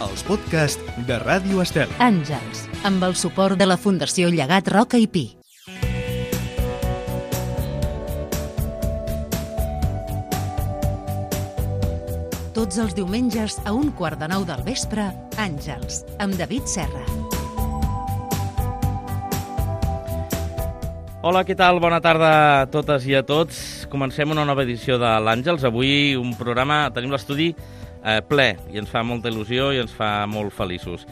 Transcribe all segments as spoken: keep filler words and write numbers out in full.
els podcasts de Ràdio Estel. Àngels, amb el suport de la Fundació Llegat Roca i Pi. Tots els diumenges a un quart de nou del vespre, Àngels, amb David Serra. Hola, què tal? Bona tarda a totes i a tots. Comencem una nova edició de l'Àngels. Avui un programa, tenim l'estudi eh, ple i ens fa molta il·lusió i ens fa molt feliços.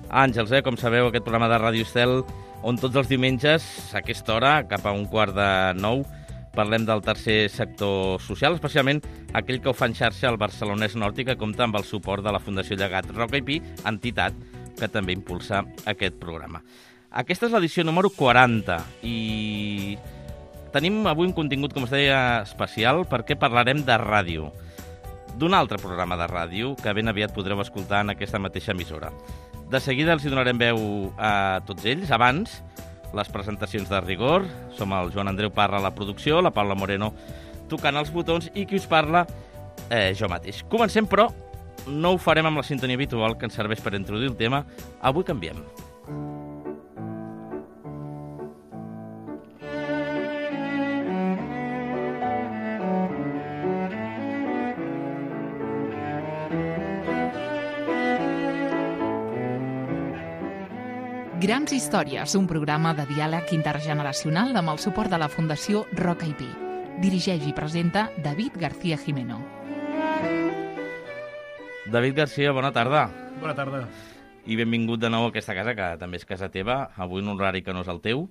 Àngels, eh, com sabeu, aquest programa de Ràdio Estel, on tots els diumenges, a aquesta hora, cap a un quart de nou, parlem del tercer sector social, especialment aquell que ho fa en xarxa al Barcelonès Nord i que compta amb el suport de la Fundació Llegat Roca i Pi, entitat que també impulsa aquest programa. Aquesta és l'edició número quaranta i tenim avui un contingut, com es deia, especial perquè parlarem de ràdio, d'un altre programa de ràdio que ben aviat podreu escoltar en aquesta mateixa emissora. De seguida els hi donarem veu a tots ells. Abans, les presentacions de rigor. Som el Joan Andreu Parra a la producció, la Paula Moreno tocant els botons i qui us parla, eh, jo mateix. Comencem, però no ho farem amb la sintonia habitual que ens serveix per introduir el tema. Avui canviem. Grans històries, un programa de diàleg intergeneracional amb el suport de la Fundació Roca i Pi. Dirigeix i presenta David García Jimeno. David García, bona tarda. Bona tarda. I benvingut de nou a aquesta casa, que també és casa teva, avui en un horari que no és el teu.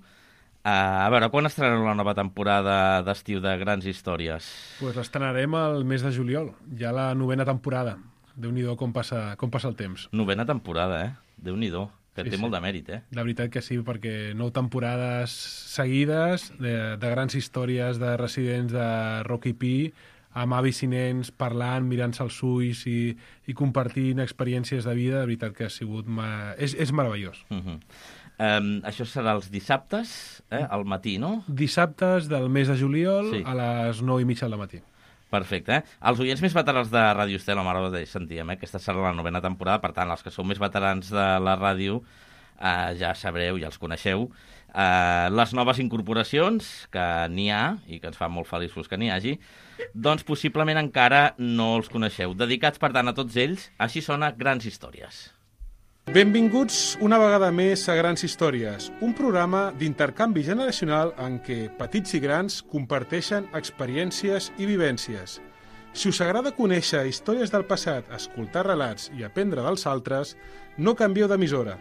Uh, a veure, quan estrenareu la nova temporada d'estiu de Grans Històries? Pues l'estrenarem el mes de juliol, ja la novena temporada. Déu-n'hi-do com passa, com passa el temps. Novena temporada, eh? Déu-n'hi-do. Que Sí, té sí. molt de mèrit, eh? La veritat que sí, perquè nou temporades seguides de, de grans històries de residents de Roca i Pi, amb avis i nens, parlant, mirant-se als ulls i, i compartint experiències de vida, de veritat que ha sigut... Ma... És, és meravellós. Uh -huh. um, això serà els dissabtes, eh? Al matí, no? Dissabtes del mes de juliol Sí. a les nou i mitja del matí. Perfecte, eh? Els oients més veterans de Ràdio Estel, m'agrada de sentíem, eh? Aquesta serà la novena temporada, per tant, els que sou més veterans de la ràdio eh, ja sabreu, ja els coneixeu. Eh, les noves incorporacions, que n'hi ha, i que ens fa molt feliços que n'hi hagi, doncs possiblement encara no els coneixeu. Dedicats, per tant, a tots ells, així sona Grans Històries. Benvinguts una vegada més a Grans Històries, un programa d'intercanvi generacional en què petits i grans comparteixen experiències i vivències. Si us agrada conèixer històries del passat, escoltar relats i aprendre dels altres, no canvieu d'emissora.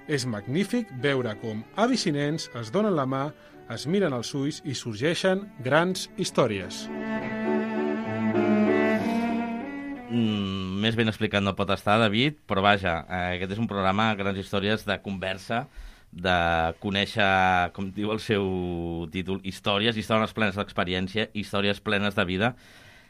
És magnífic veure com avis i nens es donen la mà, es miren als ulls i sorgeixen grans històries. Mm, més ben explicat no pot estar, David, però vaja, eh, aquest és un programa, Grans Històries, de conversa, de conèixer, com diu el seu títol, històries, històries plenes d'experiència, històries plenes de vida,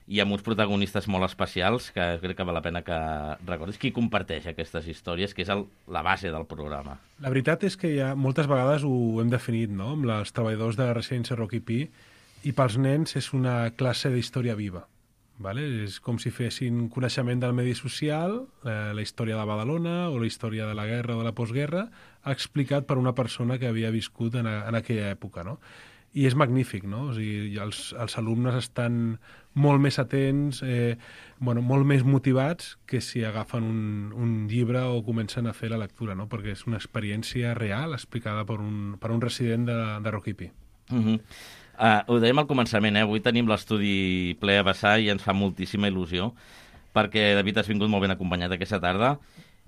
i amb uns protagonistes molt especials, que crec que val la pena que recordis. Qui comparteix aquestes històries, que és el, la base del programa? La veritat és que ja moltes vegades ho hem definit, no?, amb els treballadors de la residència Roca i Pi, i pels nens és una classe d'història viva. Vale? És com si fessin coneixement del medi social, eh, la història de Badalona o la història de la guerra o de la postguerra, explicat per una persona que havia viscut en, a, en aquella època, no? I és magnífic, no? O sigui, els, els alumnes estan molt més atents, eh, bueno, molt més motivats que si agafen un, un llibre o comencen a fer la lectura, no? Perquè és una experiència real explicada per un, per un resident de, de Roca i Pi. Uh -huh. Uh, ho dèiem al començament, eh? Avui tenim l'estudi ple a vessar i ens fa moltíssima il·lusió perquè, David, has vingut molt ben acompanyat aquesta tarda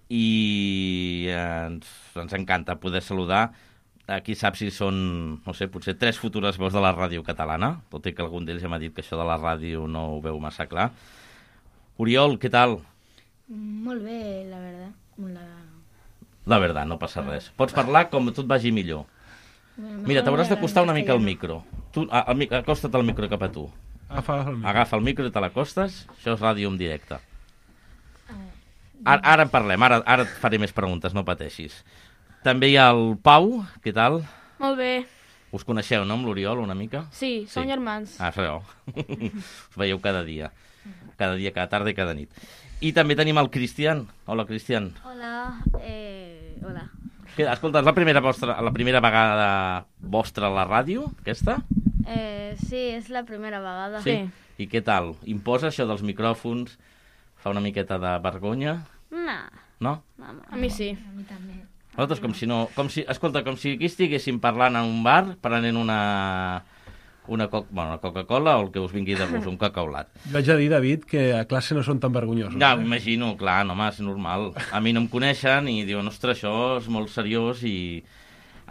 i eh, ens, ens encanta poder saludar a qui sap si són, no sé, potser tres futures veus de la ràdio catalana, tot i que algun d'ells ja m'ha dit que això de la ràdio no ho veu massa clar. Oriol, què tal? Molt bé, la verdad. La, la verdad, no passa res. Pots parlar com tot vagi millor. Mira, t'hauràs d'acostar una mica al micro. Tu, al, acosta't al micro cap a tu. Agafa el micro. Agafa el micro i te l'acostes. Això és ràdio en directe. Ara, ara en parlem, ara, ara et faré més preguntes, no pateixis. També hi ha el Pau, què tal? Molt bé. Us coneixeu, no, amb l'Oriol, una mica? Sí, som Sí. germans. Ah, sabeu. Us veieu cada dia. cada dia, cada tarda i cada nit. I també tenim el Cristian. Hola, Cristian. Hola, eh, hola. Què, escolta, és la primera, vostra, la primera vegada vostra a la ràdio, aquesta? Eh, sí, és la primera vegada. Sí. I què tal? Imposa això dels micròfons? Fa una miqueta de vergonya? No. No? no, no. A mi sí. A mi també. Nosaltres com si no... Com si, escolta, com si aquí estiguéssim parlant en un bar, prenent una... una, co bueno, una Coca-Cola o el que us vingui de gust, un cacaulat. Jo haig de dir, David, que a classe no són tan vergonyosos. Ja, eh? m'imagino, clar, no, home, és normal. A mi no em coneixen i diuen, ostres, això és molt seriós i...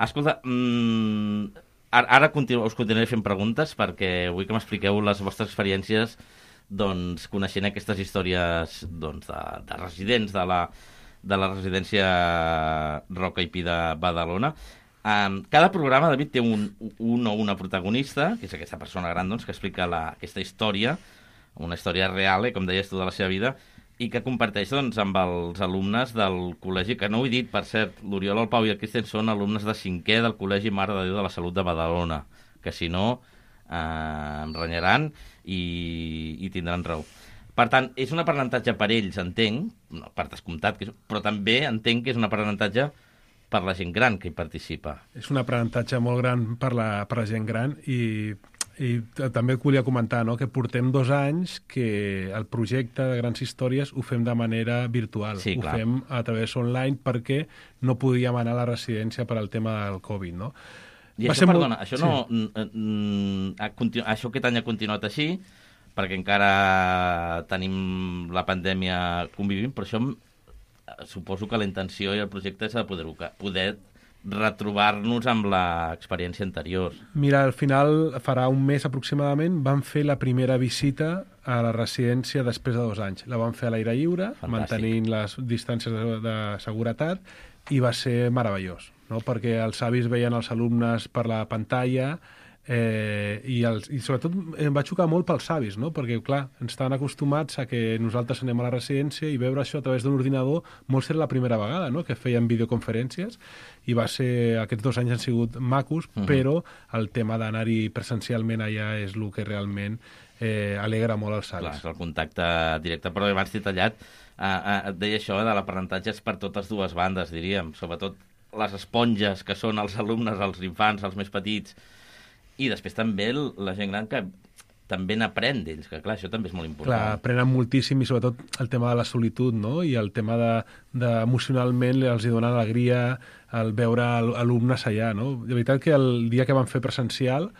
Escolta, mmm, ara, ara continu us continuaré fent preguntes perquè vull que m'expliqueu les vostres experiències doncs, coneixent aquestes històries doncs, de, de residents de la, de la residència Roca i Pi de Badalona. Um, cada programa, David, té un, un o una protagonista, que és aquesta persona gran doncs, que explica la, aquesta història, una història real, eh, com deies tu, de la seva vida, i que comparteix doncs, amb els alumnes del col·legi, que no ho he dit, per cert, l'Oriol, el Pau i el Cristian són alumnes de cinquè del Col·legi Mare de Déu de la Salut de Badalona, que si no eh, em renyaran i, i tindran raó. Per tant, és un aprenentatge per ells, entenc, no, per descomptat, que és, però també entenc que és un aprenentatge per la gent gran que hi participa. És un aprenentatge molt gran per la, per la gent gran i, i també et volia comentar, no?, que portem dos anys que el projecte de Grans Històries ho fem de manera virtual. Sí, ho clar. fem a través online perquè no podíem anar a la residència per al tema del Covid, no? I Va això, ser perdona, molt... això sí. no... Mm, ha continu... Això aquest any ha continuat així, perquè encara tenim la pandèmia convivint, però això suposo que la intenció i el projecte és de poder, poder retrobar-nos amb l'experiència anterior. Mira, al final, farà un mes aproximadament, vam fer la primera visita a la residència després de dos anys. La vam fer a l'aire lliure, Fantàstic. mantenint les distàncies de, de seguretat, i va ser meravellós, no? Perquè els avis veien els alumnes per la pantalla eh, i, els, i sobretot em va xocar molt pels avis, no? Perquè, clar, ens estaven acostumats a que nosaltres anem a la residència i veure això a través d'un ordinador molt ser la primera vegada, no?, que feien videoconferències, i va ser, aquests dos anys han sigut macos, uh -huh. però el tema d'anar-hi presencialment allà és el que realment eh, alegra molt els avis. Clar, és el contacte directe, però abans t'he tallat, eh, eh, et deia això de l'aprenentatge és per totes dues bandes, diríem, sobretot les esponges que són els alumnes, els infants, els més petits, i després també la gent gran que també n'aprèn d'ells, que clar, això també és molt important. Clar, aprenen moltíssim i sobretot el tema de la solitud, no?, i el tema de, de emocionalment els hi dona alegria el veure alumnes allà, no? De veritat que el dia que vam fer presencial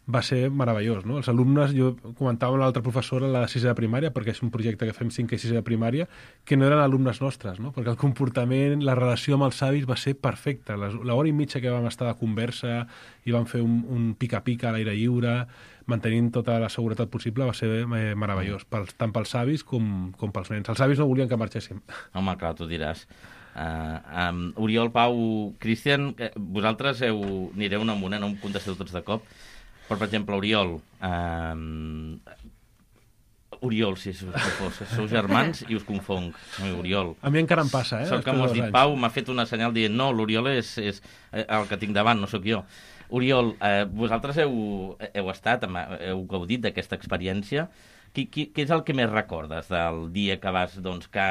va ser meravellós, no? Els alumnes, jo comentava amb l'altra professora, la de sisè de primària, perquè és un projecte que fem cinquè i sisè de primària, que no eren alumnes nostres, no? Perquè el comportament, la relació amb els avis va ser perfecta. L'hora i mitja que vam estar de conversa i vam fer un, un pica-pica a l'aire lliure, mantenint tota la seguretat possible, va ser eh, meravellós, pels, tant pels avis com, com pels nens. Els avis no volien que marxéssim. Home, clar, tu diràs. Uh, um, Oriol, Pau, Cristian, eh, vosaltres heu, anireu un amunt, eh? No em contesteu tots de cop. Però, per exemple, Oriol... Um, Oriol, si us confós, sou germans i us confonc. No, Oriol. A mi encara em passa, eh? Sort que m'ho has dit, Pau, m'ha fet una senyal dient no, l'Oriol és, és el que tinc davant, no sóc jo. Oriol, eh, vosaltres heu, heu estat, heu gaudit d'aquesta experiència. Qui, qui, què és el que més recordes del dia que vas, doncs, que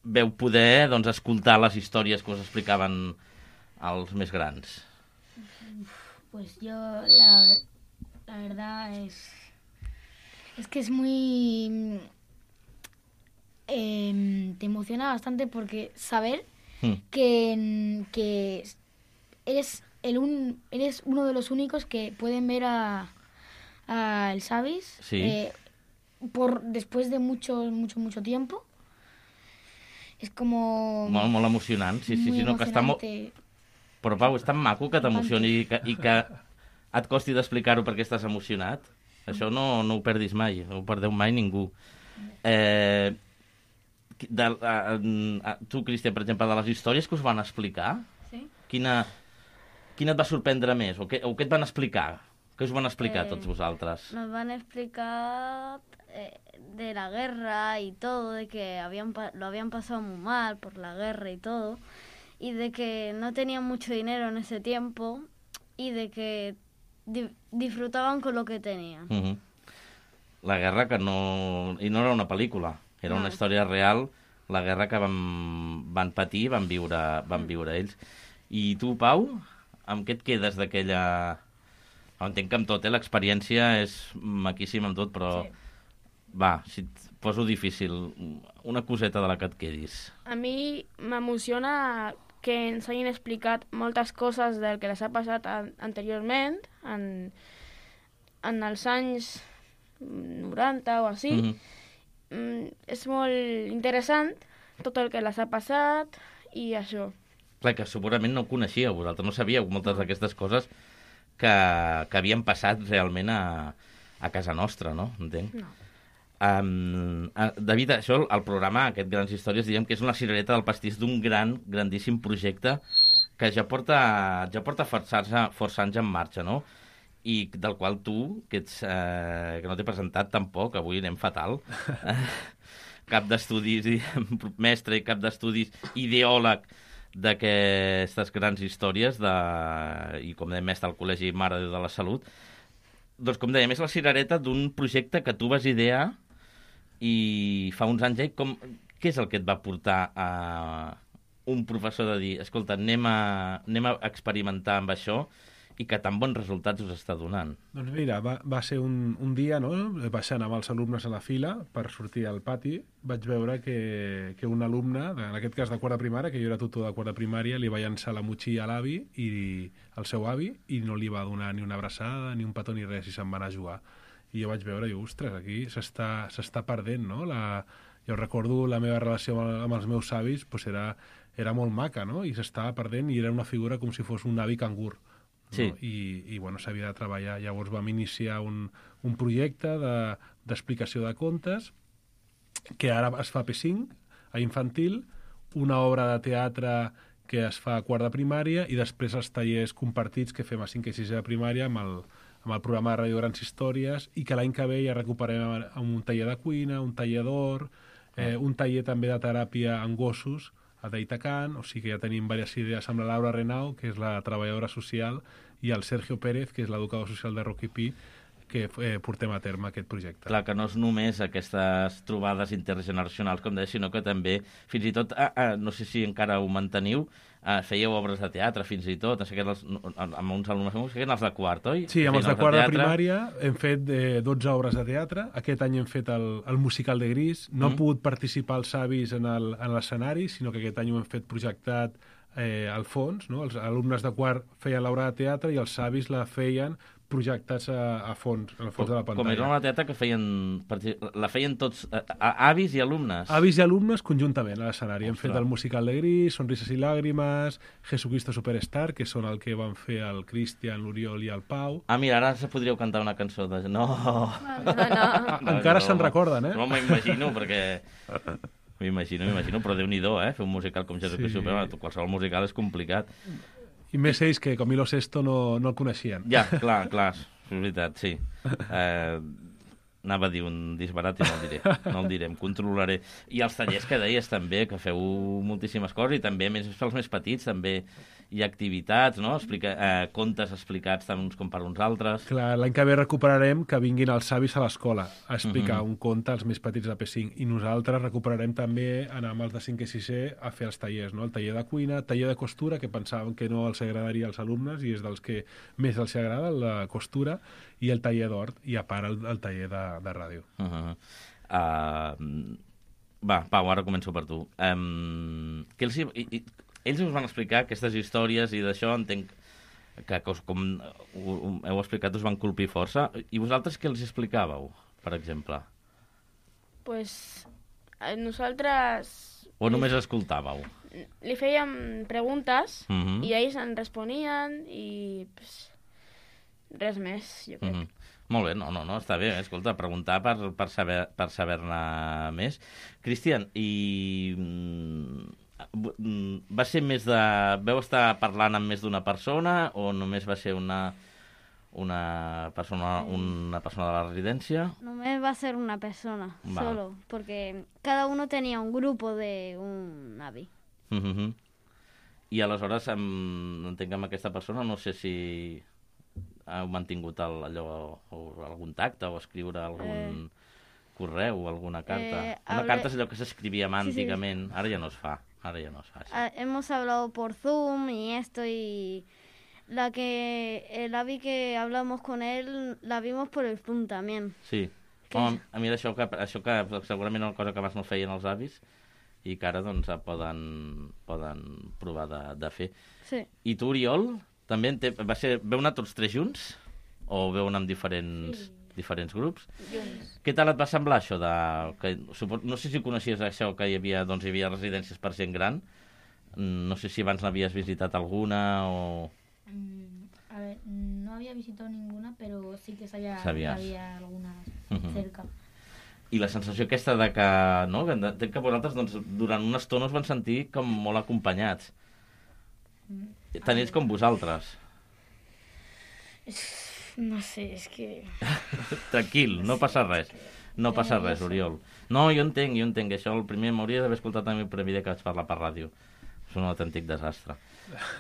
veu poder doncs, escoltar les històries que us explicaven els més grans? Pues yo, la, la verdad es, es que es muy... Eh, te emociona bastante porque saber Mm. que, que eres, el un, eres uno de los únicos que pueden ver a, a el Savis Sí. eh, por, después de mucho, mucho, mucho tiempo. Es como... Molt, molt emocionant, sí, sí, muy sí, no, que està molt... emocionante. Però, Pau, és tan maco que t'emocioni i que, i que et costi d'explicar-ho perquè estàs emocionat. Això no, no ho perdis mai, no ho perdeu mai ningú. Eh, de, a, a, tu, Cristian, per exemple, de les històries que us van explicar, Sí. quina, quina et va sorprendre més? O què, o què et van explicar? Què us van explicar Eh, tots vosaltres? Nos van a explicar eh, de la guerra y todo, de que habían pa- lo habían pasado muy mal por la guerra y todo, y de que no tenían mucho dinero en ese tiempo y de que di- disfrutaban con lo que tenían. Uh -huh. la guerra que no... I no era una pel·lícula, era una història real, la guerra que van, van patir, van viure, van viure ells. I tu, Pau, amb què et quedes d'aquella... Entenc que amb tot, eh? L'experiència és maquíssima amb tot, però... Sí. Va, si et poso difícil, una coseta de la que et quedis. A mi m'emociona que ens hagin explicat moltes coses del que les ha passat an anteriorment, en, en els anys noranta o així. Mm-hmm. mm, és molt interessant tot el que les ha passat i això. Clar, que segurament no ho coneixíeu, vosaltres no sabíeu moltes d'aquestes coses que, que havien passat realment a, a casa nostra, no? Entenc? No. Um, David, això, el programa, aquest Grans Històries, diguem que és una cirereta del pastís d'un gran, grandíssim projecte que ja porta, ja porta força, força anys en marxa, no? I del qual tu, que, ets, eh, que no t'he presentat tampoc, avui anem fatal, cap d'estudis, mestre i cap d'estudis, ideòleg d'aquestes grans històries, de, i com dèiem, mestre al Col·legi Mare de Déu de la Salut, doncs com dèiem, és la cirereta d'un projecte que tu vas idear i fa uns anys, eh, com, què és el que et va portar a un professor de dir, escolta, anem a, anem a experimentar amb això i que tan bons resultats us està donant? Doncs mira, va, va ser un, un dia, no?, baixant amb els alumnes a la fila per sortir al pati, vaig veure que, que un alumne, en aquest cas de quart de primària, que jo era tutor de quart de primària, li va llançar la motxilla a l'avi i al seu avi i no li va donar ni una abraçada, ni un petó ni res, i se'n va anar a jugar. I jo vaig veure, i ostres, aquí s'està s'està perdent, no? La, jo recordo la meva relació amb, amb els meus avis, doncs era, era molt maca, no? I s'estava perdent i era una figura com si fos un avi cangur. No? Sí. I, i bueno, s'havia de treballar. Llavors vam iniciar un, un projecte d'explicació de, de contes que ara es fa a P cinc, a infantil, una obra de teatre que es fa a quart de primària i després els tallers compartits que fem a cinquè i sisè de primària amb el, amb el programa de Ràdio Grans Històries i que l'any que ve ja recuperem amb un taller de cuina, un taller d'or, eh, un taller també de teràpia en gossos a Deitacan, o sigui que ja tenim diverses idees amb la Laura Renau, que és la treballadora social, i el Sergio Pérez, que és l'educador social de Rocky Pi, que eh, portem a terme aquest projecte. Clar, que no és només aquestes trobades intergeneracionals, com deia, sinó que també, fins i tot, ah, ah, no sé si encara ho manteniu, ah, fèieu obres de teatre, fins i tot, no sé què, els, amb uns alumnes meus, que eren els de quart, oi? Sí, amb els de quart de, de primària hem fet eh, dotze obres de teatre. Aquest any hem fet el, el musical de Gris. No mm. han pogut participar els avis en l'escenari, sinó que aquest any ho hem fet projectat eh, al fons, no? Els alumnes de quart feien l'obra de teatre i els avis la feien projectats a, a fons, a fons com, de la pantalla. Com era una teatre que feien, la feien tots, a, a, avis i alumnes. Avis i alumnes conjuntament a l'escenari. Hem fet el musical de Gris, Sonrises i Làgrimes, Jesucristo Superstar, que són el que van fer el Cristian, l'Oriol i el Pau. Ah, mira, ara se podríeu cantar una cançó de... No! No, no, no. Encara no, se'n recorden, eh? No m'imagino, perquè... M'imagino, m'imagino, però Déu-n'hi-do, eh? Fer un musical com Jesucristo Superstar, sí. Qualsevol musical és complicat. I més ells que Camilo Sesto no, no el coneixien. Ja, clar, clar, és veritat, sí. Eh, anava a dir un disbarat i no el diré, no el diré, em controlaré. I els tallers que deies també, que feu moltíssimes coses, i també, més pels més petits, també hi ha activitats, no? Explica, eh, contes explicats tant uns com per uns altres. Clar, l'any que ve recuperarem que vinguin els avis a l'escola a explicar uh -huh. un conte als més petits de P cinc, i nosaltres recuperarem també anar amb els de cinquè i sisè a fer els tallers, no? El taller de cuina, taller de costura, que pensàvem que no els agradaria als alumnes i és dels que més els agrada, la costura, i el taller d'hort, i a part el, el taller de, de ràdio. Uh -huh. uh, va, Pau, ara començo per tu. Um, què els hi, i, ells us van explicar aquestes històries i d'això entenc que, com heu explicat, us van colpir força. I vosaltres què els explicàveu, per exemple? Pues nosaltres... O només escoltàveu? Li fèiem preguntes uh -huh. i ells en responien i pues, res més, jo crec. Uh -huh. Molt bé, no, no, no, està bé, escolta, preguntar per, per saber per saber-ne més. Cristian, i... va ser més de... Veu estar parlant amb més d'una persona o només va ser una, una, persona, una persona de la residència? Només va ser una persona, va. Solo, porque cada uno tenía un grupo de un avi. Uh -huh. I aleshores, amb, entenc amb aquesta persona, no sé si heu mantingut el, allò, o algun tacte o escriure algun eh. correu o alguna carta? Eh, Una hable... carta és allò que s'escrivia mà sí, sí. antigament, ara ja no es fa, ara ja no es fa. Sí. Ah, hemos hablado por Zoom y esto y la que el avi que hablamos con él la vimos por el Zoom también. Sí. Home, a mi això que, això que segurament una cosa que abans no feien els avis i que ara doncs poden, poden provar de, de fer. Sí. I tu, Oriol, també te, va ser, veu anar tots tres junts? O veu anar amb diferents, sí. diferents grups? Junts. Què tal et va semblar això de... Que, no sé si coneixies això, que hi havia, doncs, hi havia residències per gent gran. No sé si abans n'havies visitat alguna o... Mm, a ver, no había visitado ninguna, pero sí que sabía que Sabías. había algunas Uh-huh. cerca. I la sensació aquesta de que, no, que, de, que vosaltres doncs, durant una estona us van sentir com molt acompanyats. Mm. Tant ells com vosaltres. No sé, és que... Tranquil, no passa res. No passa res, Oriol. No, jo entenc, jo entenc. Això el primer m'hauria d'haver escoltat també el primer dia que vaig parlar per ràdio. És un autèntic desastre.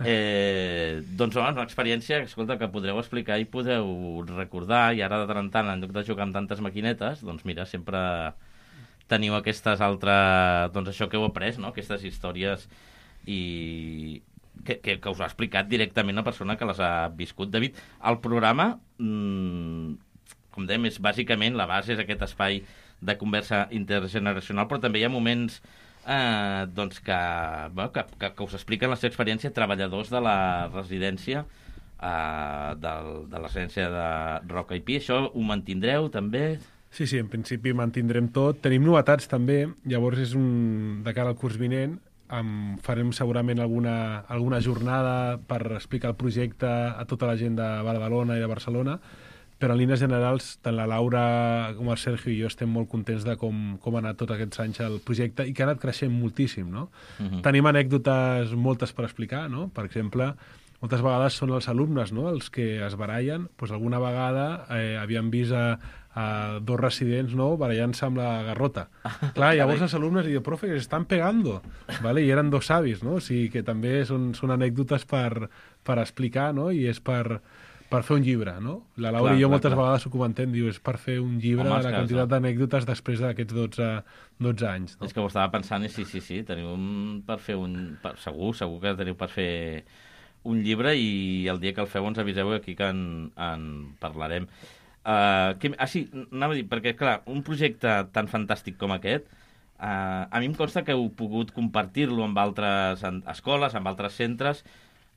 Eh, doncs, home, una experiència escolta, que podreu explicar i podeu recordar, i ara de tant en tant, en lloc de jugar amb tantes maquinetes, doncs mira, sempre teniu aquestes altres... Doncs això que heu après, no?, aquestes històries i... Que, que, que us ha explicat directament una persona que les ha viscut. David, el programa, mmm, com dèiem, és bàsicament, la base és aquest espai de conversa intergeneracional, però també hi ha moments eh, doncs que, bueno, que, que, que us expliquen la seva experiència treballadors de la residència eh, del, de la residència de Roca i Pi. Això ho mantindreu també? Sí, sí, en principi mantindrem tot. Tenim novetats també, llavors és un de cara al curs vinent. Um, farem segurament alguna, alguna jornada per explicar el projecte a tota la gent de Badalona i de Barcelona, però en línies generals tant la Laura com el Sergio i jo estem molt contents de com, com ha anat tots aquests anys el projecte i que ha anat creixent moltíssim, no? Uh-huh. Tenim anècdotes moltes per explicar, no? Per exemple, moltes vegades són els alumnes, no?, els que es barallen. Pues alguna vegada eh, havíem vist a, a dos residents, no?, barallant-se amb la garrota. Clar, llavors els alumnes diuen, profe, que s'estan pegando, ¿vale? I eren dos savis, no? O sigui que també són, són anècdotes per, per explicar, no?, i és per, per fer un llibre, no? La Laura clar, i jo clar, moltes clar. vegades ho comentem, diu, és per fer un llibre Home, de la quantitat no? d'anècdotes després d'aquests dotze, dotze anys. No? És que ho estava pensant i sí, sí, sí, teniu un per fer un... Per, segur, segur que teniu per fer un llibre i el dia que el feu ens aviseu aquí que en, en parlarem. Uh, que, ah, sí, anava a dir, perquè, clar, un projecte tan fantàstic com aquest, uh, a mi em consta que heu pogut compartir-lo amb altres escoles, amb altres centres.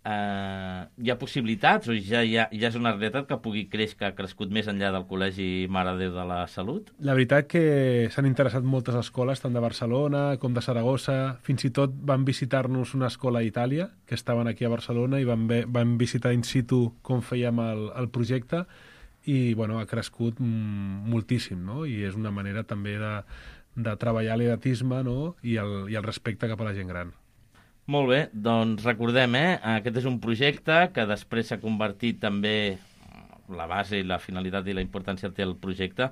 Uh, hi ha possibilitats o ja, ja, ja és una realitat que pugui créixer, que ha crescut més enllà del Col·legi Mare de Déu de la Salut? La veritat que s'han interessat moltes escoles, tant de Barcelona com de Saragossa. Fins i tot van visitar-nos una escola a Itàlia, que estaven aquí a Barcelona, i van, ve, van visitar in situ com fèiem el, el projecte, i bueno, ha crescut moltíssim, no? I és una manera també de, de treballar l'edatisme, no?, i el, i el respecte cap a la gent gran. Molt bé, doncs recordem, eh? Aquest és un projecte que després s'ha convertit també, la base i la finalitat i la importància té el projecte,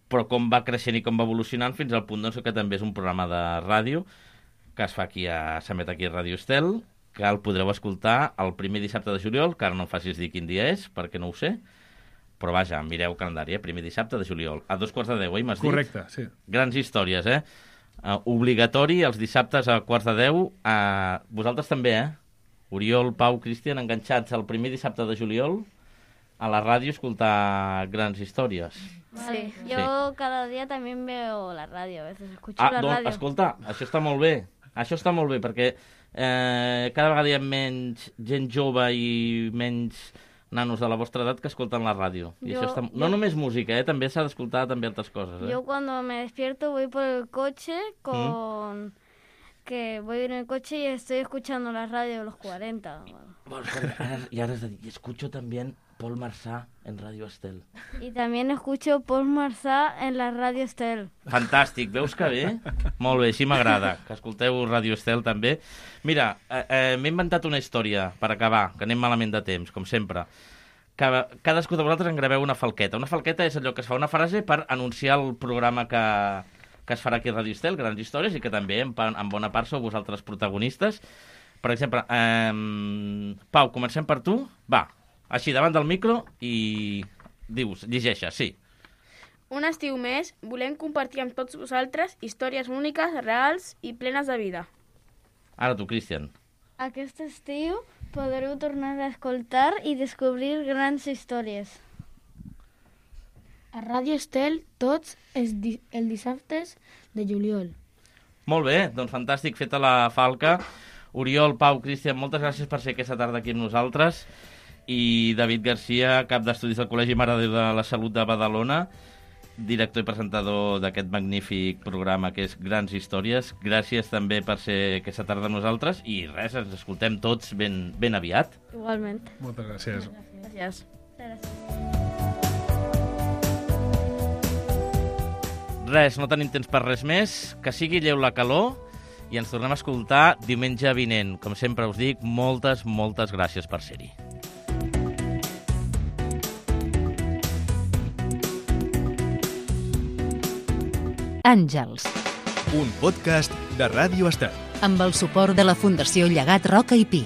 però com va creixent i com va evolucionant fins al punt doncs, que també és un programa de ràdio que es fa aquí a, s'emet aquí a Ràdio Estel, que el podreu escoltar el primer dissabte de juliol, que ara no em facis dir quin dia és, perquè no ho sé, però vaja, mireu calendari, eh? Primer dissabte de juliol, a dos quarts de deu, eh? M'has dit? Correcte, sí. Grans històries, eh? Uh, obligatori els dissabtes a quarts de deu. Uh, vosaltres també, eh? Oriol, Pau, Cristian, enganxats el primer dissabte de juliol a la ràdio escoltar grans històries. Sí, yo sí. cada día también veo la radio, a veces escucho ah, la doncs, radio. Escolta, això està molt bé. Això està molt bé, perquè eh, cada vegada hi ha menys gent jove i menys nanos de la vostra edat que escolten la ràdio. I yo, això està... No yo... només música, eh? També s'ha d'escoltar també altres coses. Eh? Yo cuando me despierto voy por el coche con... ¿Mm? Que voy en el coche y estoy escuchando la radio de los cuarenta. Bueno, y ahora y escucho también Paul Marsà en Radio Estel. Y también escucho Paul Marsà en la Radio Estel. Fantàstic, veus que bé? Molt bé, així m'agrada, que escolteu Radio Estel també. Mira, eh, eh, m'he inventat una història per acabar, que anem malament de temps, com sempre. Que cadascú de vosaltres en graveu una falqueta. Una falqueta és allò que es fa una frase per anunciar el programa que, que es farà aquí a Radio Estel, Grans Històries, i que també en, en bona part sou vosaltres protagonistes. Per exemple, eh, Pau, comencem per tu? Va, Així, davant del micro i dius, llegeixes, sí. Un estiu més, volem compartir amb tots vosaltres històries úniques, reals i plenes de vida. Ara tu, Cristian. Aquest estiu podreu tornar a escoltar i descobrir grans històries. A Ràdio Estel tots els, di els dissabtes de juliol. Molt bé, doncs fantàstic, feta la falca. Oriol, Pau, Cristian, moltes gràcies per ser aquesta tarda aquí amb nosaltres. I David Garcia, cap d'estudis del Col·legi Mare de Déu de la Salut de Badalona, director i presentador d'aquest magnífic programa que és Grans Històries. Gràcies també per ser aquesta tarda amb nosaltres i res, ens escoltem tots ben, ben aviat. Igualment. Moltes gràcies. Gràcies. Gràcies. Res, no tenim temps per res més, que sigui lleu la calor i ens tornem a escoltar diumenge vinent. Com sempre us dic, moltes, moltes gràcies per ser-hi. Àngels, Un podcast de Ràdio Estel. amb el suport de la Fundació Llegat Roca i Pi.